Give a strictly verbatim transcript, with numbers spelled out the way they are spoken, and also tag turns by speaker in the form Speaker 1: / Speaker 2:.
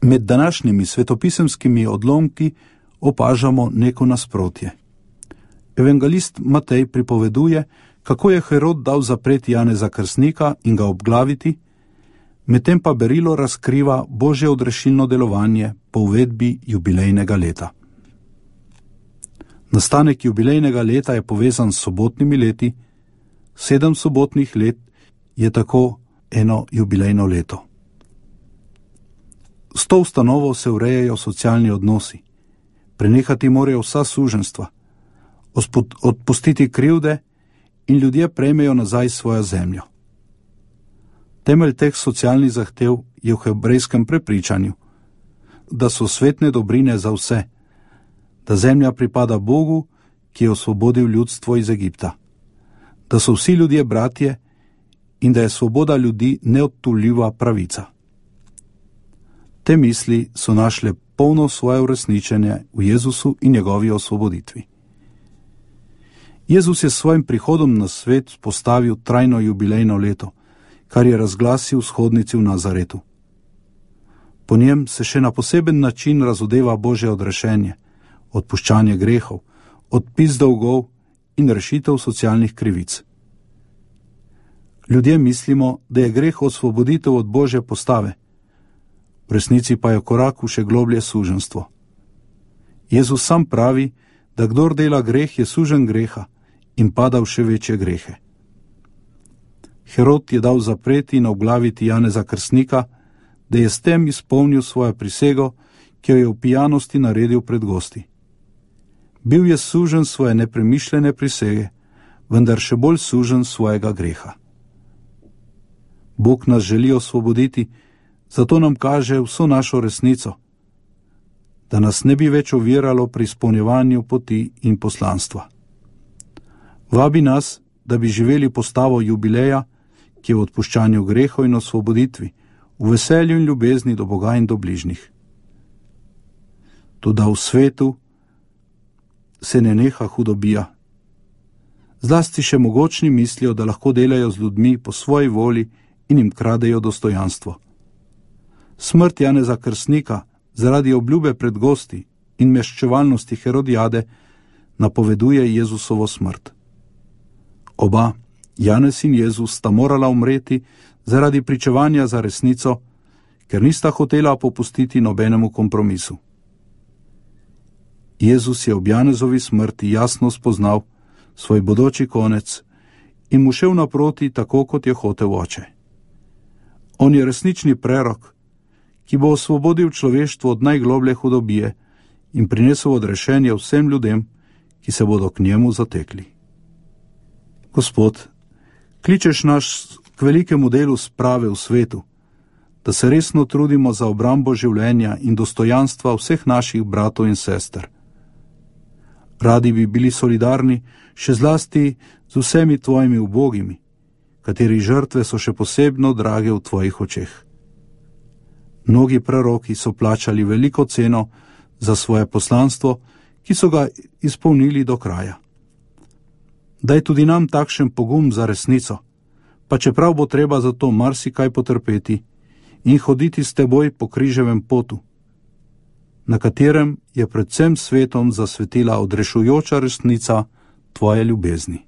Speaker 1: Med današnjimi svetopisemskimi odlomki opažamo neko nasprotje. Evangelist Matej pripoveduje, kako je Herod dal zapreti Janeza Krstnika in ga obglaviti, medtem pa berilo razkriva Božje odrešilno delovanje po uvedbi jubilejnega leta. Nastanek jubilejnega leta je povezan s sobotnimi leti, sedem sobotnih let je tako eno jubilejno leto. S to ustanovo se urejajo socialni odnosi, prenehati morajo vsa suženjstva, odpustiti krivde in ljudje prejmejo nazaj svojo zemljo. Temelj teh socialnih zahtev je v hebrejskem prepričanju, da so svetne dobrine za vse, da zemlja pripada Bogu, ki je osvobodil ljudstvo iz Egipta, da so vsi ljudje bratje in da je svoboda ljudi neodtuljiva pravica. Te misli so našle polno svoje uresničenje v Jezusu in njegovi osvoboditvi. Jezus je s svojim prihodom na svet postavil trajno jubilejno leto, kar je razglasil shodnici v Nazaretu. Po njem se še na poseben način razodeva Božje odrešenje, odpuščanje grehov, odpis dolgov in rešitev socialnih krivic. Ljudje mislimo, da je greh osvoboditev od Božje postave, v resnici pa je korak v še globlje suženjstvo. Jezus sam pravi, da kdor dela greh, je suženj greha in pada v še večje grehe. Herod je dal zapreti in obglaviti Janeza Krstnika, da je s tem izpolnil svojo prisego, ki jo je v pijanosti naredil pred gosti. Bil je suženj svoje nepremišljene prisege, vendar še bolj suženj svojega greha. Bog nas želi osvoboditi, zato nam kaže vso našo resnico, da nas ne bi več oviralo pri izpolnjevanju poti in poslanstva. Vabi nas, da bi živeli postavo jubileja, ki je v odpuščanju grehov in osvoboditvi, v veselju in ljubezni do Boga in do bližnjih. Toda v svetu se ne neha hudobija. Zlasti še mogočni mislijo, da lahko delajo z ljudmi po svoji voli in jim kradejo dostojanstvo. Smrt Janeza Krstnika zaradi obljube pred gosti in meščevalnosti Herodijade napoveduje Jezusovo smrt. Oba, Janez in Jezus, sta morala umreti zaradi pričevanja za resnico, ker nista hotela popustiti nobenemu kompromisu. Jezus je ob Janezovi smrti jasno spoznal svoj bodoči konec in mu šel naproti tako, kot je hotel oče. On je resnični prerok, ki bo osvobodil človeštvo od najgloblje hudobije in prinesel odrešenje vsem ljudem, ki se bodo k njemu zatekli. Gospod, kličeš nas k velikemu delu sprave v svetu, da se resno trudimo za obrambo življenja in dostojanstva vseh naših bratov in sester. Radi bi bili solidarni še zlasti z vsemi tvojimi ubogimi, kateri žrtve so še posebno drage v tvojih očeh. Mnogi preroki so plačali veliko ceno za svoje poslanstvo, ki so ga izpolnili do kraja. Daj tudi nam takšen pogum za resnico, pa čeprav bo treba za to marsikaj potrpeti in hoditi s teboj po križevem potu, na katerem je pred vsem svetom zasvetila odrešujoča resnica tvoje ljubezni.